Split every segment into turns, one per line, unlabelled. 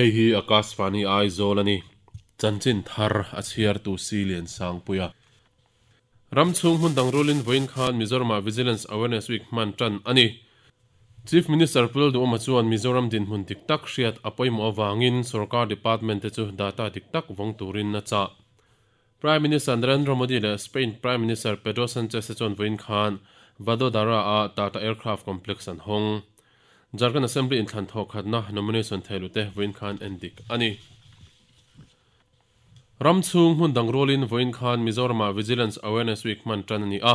Hei hi Akashvani Aizawl a ni. Chanchin thar a chhiartu Silian Sangpuia. Ram chhung hmun dang rulin vawiin khan Mizoramah Vigilance Awareness Week hman tan a ni. Chief Minister Pu Lalduhawma chuan Mizoram dinhmun dik tak hriat a pawimawh avangin sorkar department te chu data dik tak vawng turin a chah. Prime Minister Narendra Modi leh Spain Prime Minister Pedro Sanchez te chuan vawiin khan Vadodara-a Tata Aircraft Complex an hawng. Jharkhand Assembly inthlan thawh khatna nomination thehlute vawiin khan en dik a ni. Ram chhung hmun dang rualin vawiin khan Mizoramah Vigilance Awareness Week hman tan a ni a.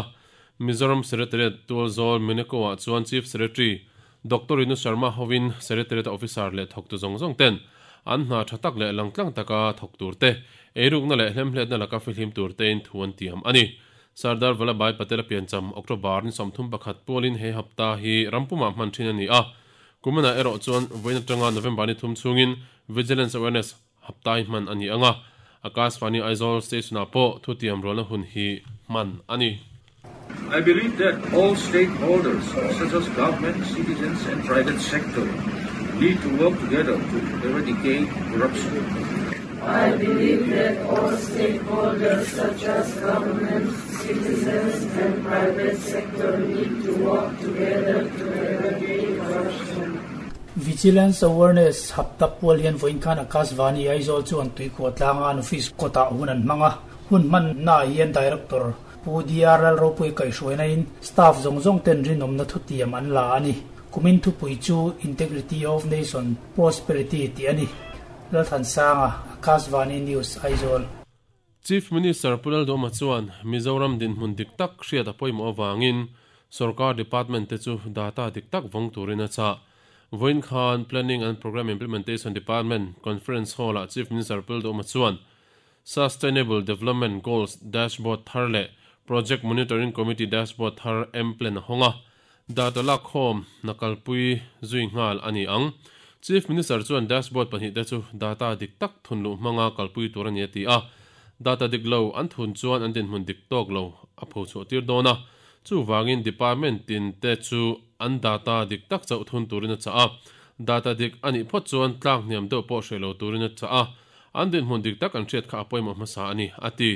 Mizoram Secretariat Tualzawl Muneko-ah chuan Chief Secretary Doctor Rinu Sharma hovin Secretariat-a officer leh thawktu zawng zawng ten an hna tha tak leh langtlang taka thawk tur te, eirukna leh hlemhletna laka fihlim tur tein thu an tiam a ni. Sardar Vallabhbhai Patel-a piancham October ni 31 pualin he hapta hi rampumah hman thin a ni a. Kuminah erawh chuan vawiin atanga November ni thum chhungin Vigilance Awareness haptai hman a ni ang a, Akashvani Aizawl Station-ah pawh thutiam rualna hun hi hman a ni.
I believe that all stakeholders such as government, citizens and private sector need to work together to eradicate corruption.
I believe that all stakeholders such as government, citizens and private sector need to work together to eradicate corruption.
Vigilance Awareness Hapta pual hian vawiin khan Akashvani Aizawl chuan tuikhuah tlanga an office kawtah hun an hmang a, hun hmannaah hian Director Pu DR Lalropui kaihhruaina in staff zawng zawng ten rinawmna thutiam an la a ni. Kumin thupui chu Integrity of Nation Prosperity tih a ni. Lalthansanga, Akashvani News, Aizawl.
Chief Minister Pu Lalduhoma chuan Mizoram dinhmun dik tak hriat a pawimawh avangin sorkar department te chu data dik tak vawng turin a chah. Vawiin khan Planning and Programme Implementation Department Conference Hall-ah Chief Minister Pu Lalduhoma chuan Sustainable Development Goals Dashboard thar leh Project Monitoring Committee Dashboard thar M-Plan a hawng a, data lakkhawm hna kalpui zui nghal a ni ang. Chief Minister chuan dashboard pahnihte chu data dik tak thunluh hmanga kalpui tur a ni a ti a, data dik lo an thun chuan an dinhmun dik tawk lo a pho chhuah tir dawn a, chuvangin department tin te chu an data dik tak chauh thun turin a chah a, data dik a nih phawt chuan tlak hniam deuh pawh hreh lo turin a chah a. An dinhmun dik tak an hriat kha a pawimawh hmasa a ni, a ti.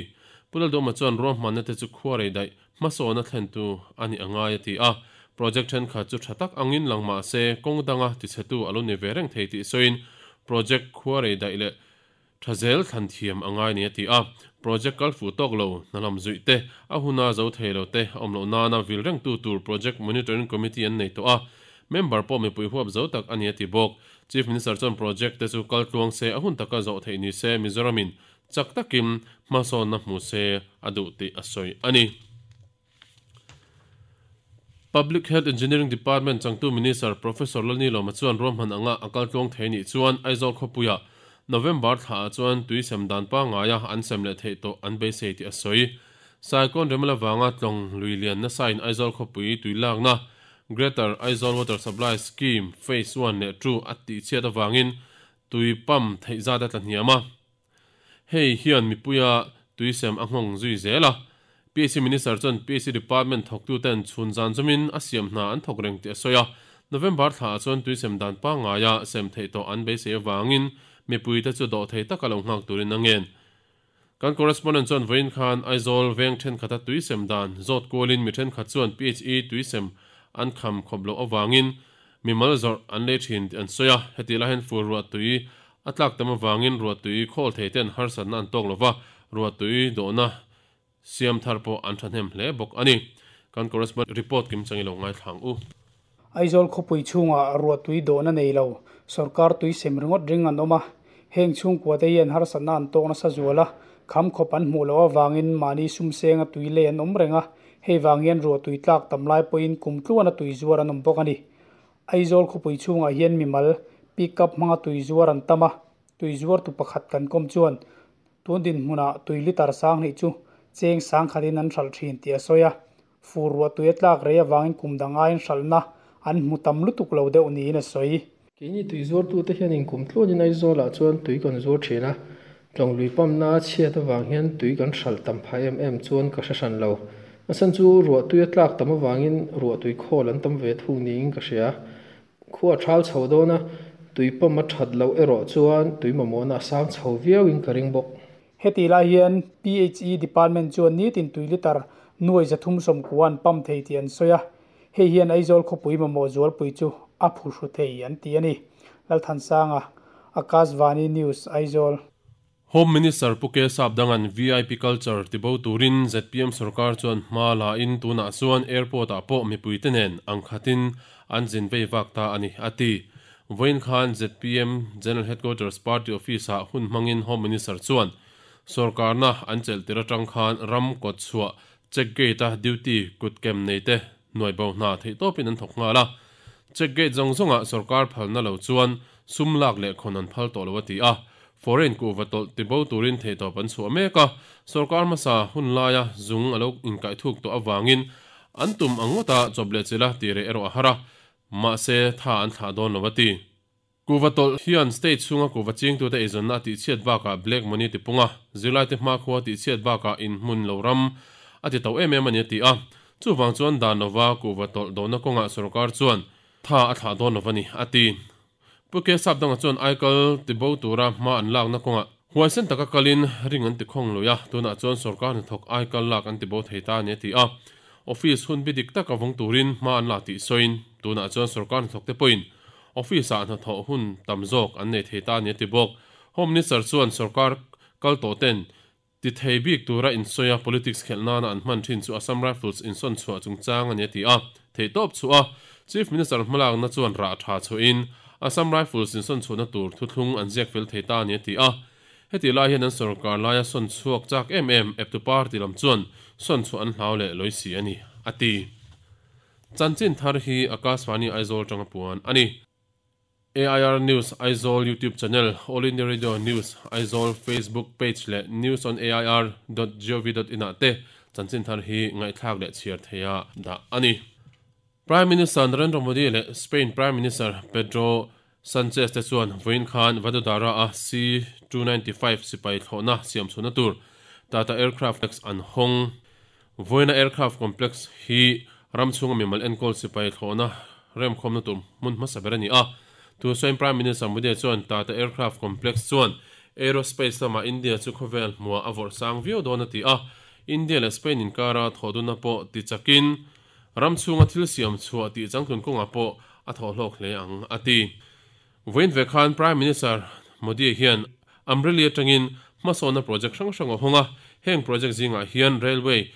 Pu Lalduhma chuan ruahmanna te chu khuarei daih hmasawn a thlentu a nih a ngai a ti a. Project thenkhat chu tha tak angin lang mah se kawng danga tichhetu a lo ni ve reng thei tih sawiin project khuarei daih leh tha zel thlan thiam a ngai ni a ti a. Project kal fuh tawk lo, hna lam zuih te, a huna zo thei lo te a awm loh nana vil rengtu tur Project Monitoring Committee an nei tawh a. Member pawh mipui huap zo tak a ni a ti bawk. Chief Minister chuan project te chu kal tluang se, a hun taka zawh theih ni se Mizoramin chak takin hmasawnna hmu se a duh tih a sawi a ni. Public Health Engineering Department changtu Minister Professor Lalnilawma chuan ruahman anga a kal tluang thei nih chuan Aizawl khawpuiah November thlaah chuan tui sem dan pangaia an sem leh theih tawh an beisei tih a sawi. Cyclone Remala vanga tlawng lui lian nasain Aizawl khawpui tui lakna Greater Aizawl Water Supply Scheme Phase One leh Two a tihchhiat avangin tui pump theih zat a tla hniam a. Hei hian mipuia tui sem a nghawng zui zel a. PAC Minister chuan PAC Department thawktuten chhun zan zawmin a siam hna an thawk reng tih a sawi a. November thlaah chuan tui sem dan pangngaia sem theih tawh an beisei avangin mipuite chu dawh thei taka lo nghak turin a ngen. Kan correspondent chuan vawiin khan Aizawl veng thenkhat a tui sem dan zawt kualin mi thenkhat chuan PHE tui sem an kham khawp loh avangin mimal zawrh an lei thin tih an sawi a, heti lai hian fur ruah tui a tlak tam avangin ruah tui khawl thei ten harsatna an tawk lova, ruah tui dawhna siam thar pawh an thahnem hle bawk a ni. Kan correspondent report kim chang i lo ngaithla ang u.
Aizawl khawpui chhungah ruahtui dawhna nei lo, sorkar tui sem ringawt ring an awm a. Heng chhungkuate hian harsatna an tawk nasa zual a, kham khawp an hmuh loh avangin mahni sumsenga tui lei an awm reng a, hei vang hian ruahtui tlak tam lai pawhin kum tluana tui zuar an awm bawk a ni. Aizawl khawpui chhungah hian mimal, pick up hmanga tui zuar an tam a, tui zuartu pakhat kan kawm chuan tun dinhmunah tui litre sang hnih chu cheng sang khatin an hralh thin tih a sawi a. Fur ruah tui a tlak rei avangin kum dang aiin hralhna an hmu tam lutuk lo deuh niin a sawi.
Keini tui zuartute hianin kum tluanin Aizawlah chuan tui kan zuar thin a, tlawng lui pamna a chhiat avang hian tui kan hralh tam phah em em chuan ka hre hran lo. A chhan chu ruah tui a tlak tam avangin ruah tui khawl an tam ve thung niin ka hria. Khua a thal chho dawn a, Tui pump a that loh erawh chuan tui mamawhna a sang chho viauin ka ring bawk.
Hetih lai hian PHE Department chuan nitin tui litre nuai 390 an pump thei tih an sawi a, hei hian Aizawl khawpui mamawh zualpui chu a phuhru thei an ti a ni. Lalthansanga, Akashvani News, Aizawl.
Home Minister Pu K Sapdanga'n vip culture tibo turin zpm sorkar chuan hma la in tunah chuan airport ah pawh mipuite nen ang khatin an zin vei vak ta a ni, a ti. Vawiin khan zpm General Headquarters Party Office ah hun hmangin Home Minister chuan sorkarna an chelh tir atang khan ram kawt chhuah check gate a duty kut kem nei te nuai bo hna theihtawpin an thawk nghal a. Check gate zawng zawngah sorkar phalna lo chuan sum lak leh khawn an phal tawh lo a ti a. Foreign kuhva tawlh tibo turin theihtawp an chhuah mek a, sorkar hmasa hun laia zung a lo inkaih thuk tawh avangin an tum ang ngawta chawp leh chilh a tih reh erawh a har a, mahse tha an thlah dawn lo a ti. Kuhva tawlh hian state chhunga kuhva chingtute eizawnna a tihchhiat bakah black money ti pung a, zirlaite hmakhua a tihchhiat bakah inhmun lo ram a ti to em em a ni a ti a. Chuvang chuan dan lova kuhva tawlh dohna kawngah sorkar chuan tha a thlah dawn lo a ni a ti. Pu K Sapdanga chuan aikal tibo tura hma an lakna kawngah huaisen taka kalin ring an ti khawng lui a, tunah chuan sorkar hnathawk aikal lak an tibo thei ta a ni a ti a. Office hun bi dik taka vawng turin hma an la tih sawiin tunah chuan sorkar hnathawkte pawhin Office-ah hnathawh hun tam zawk an nei thei ta a ni a ti bawk. Home Minister chuan sorkar kal tawh ten ti thei bik tura insawi a politics khelh nana an hman thin chu Assam Rifles insawn chhuah chungchang a ni a ti a. Theihtawp chhuah a Chief Minister hmalakna chuan rah tha chhuahin Assam Rifles insawn chhuahna tur thuthlung an ziak fel thei ta a ni a ti a. Heti lai hian an sorkar laia sawn chhuak chak em em eptu party lam chuan sawn chhuah an hlau leh lawi si a ni a ti. Chanchin thar hi Akashvani Aizawl tanga puan a ni. AIR News Aizawl YouTube channel, All India Radio News Aizawl Facebook page leh News on AIR dot gov dot in ah te chanchin thar hi ngaihthlak leh chhiar theia dah a ni. Prime Minister Narendra Modi leh Spain Prime Minister Pedro Sanchez te chuan vawiin khan Vadodara a C-295 sipai thlawhna siam chhuahna tur Tata Aircraft Complex an hawng. Vawiina Aircraft Complex hi ram chhunga mimal enkawl sipai thlawhna remkhawmna tur hmun hmasa ber a ni a. Tun sawiin Prime Minister Modi chuan Tata Aircraft Complex chuan aerospace lamah India chu khawvel hmuah a vawrh sang viau dawn a ti a. India leh Spain inkara thawhdunna pawh tichakin Ram chhunga thil siam chhuah tih changtlun kawngah pawh a thawh hlawk hle ang, a ti. Vawiin ve khan Prime Minister Modi hian Amreli atangin hmasawnna project hrang hrang a hawng a, heng project zingah hian railway,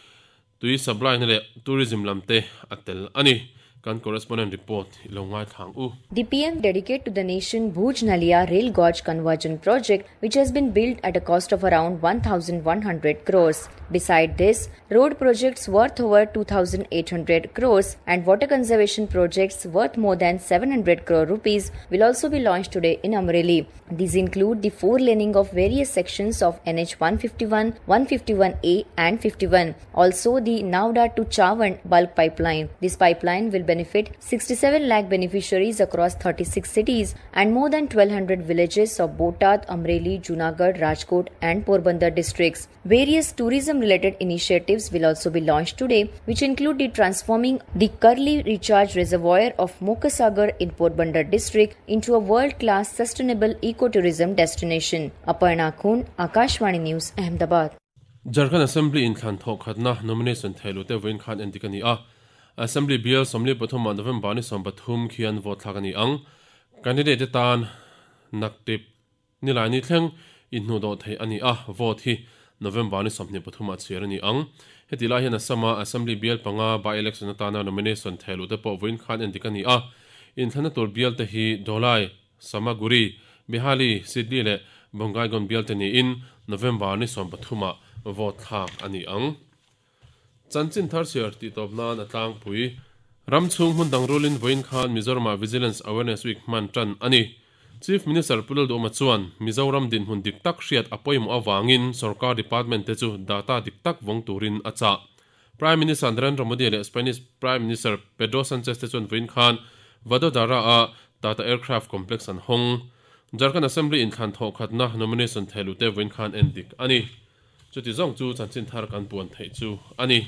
tui supply na leh tourism lam te a tel a ni. Kan correspondent report i lo ngaithla ang u.
The PM dedicate to the nation Bhuj Naliya Rail Gauge Conversion Project which has been built at a cost of around 1100 crores. Beside this, road projects worth over 2800 crores and water conservation projects worth more than 700 crore rupees will also be launched today in Amreli. These include the four laning of various sections of NH 151, 151A and 51. Also the Navda to Chavand bulk pipeline. This pipeline will benefit 67 lakh beneficiaries across 36 cities and more than 1200 villages of Botad, Amreli, Junagadh, Rajkot and Porbandar districts. Various tourism related initiatives will also be launched today, which include the transforming the Karli Recharge Reservoir of Mokasagar in Porbandar district into a world class sustainable ecotourism destination. Aparna Khun, Akashvani News, Ahmedabad.
Jharkhand Assembly inthlan thawh khatna nomination theihlute vawiin khan endik a ni a. Assembly bial 43 ah November ni 13 khian vote thlak a ni ang. Candidate te tan naktip nilai ni thleng inhnuhdawh theih a ni a, vote hi November ni 23 ah chhiar a ni ang. Heti lai hian Assam-a Assembly bial panga by-election atana nomination theihlute pawh vawiin khan endik a ni a. Inthlanna tur bial te hi Dholai, Samaguri, Bihali, Sidli leh Bongaigaon bial te niin November ni 13 ah vote thlak a ni ang. Chanchin thar chhiar tih tawp nan a tlangpui. Ram chhung hmun dang rulin vawiin khan Mizoramah Vigilance Awareness Week hman tan a ni. Chief Minister Pu Lalduhoma chuan Mizoram dinhmun dik tak hriat a pawimawh avangin sorkar department te chu data dik tak vawng turin a chah. Prime Minister Narendra Modi leh Spanish Prime Minister Pedro Sanchez te chuan vawiin khan Vadodara-a Tata Aircraft Complex an hawng. Jharkhand Assembly inthlan thawhkhatna nomination thehluhte vawiin khan en dik a ni. Chuti zawng chu chanchin thar kan puan theih chu a ni.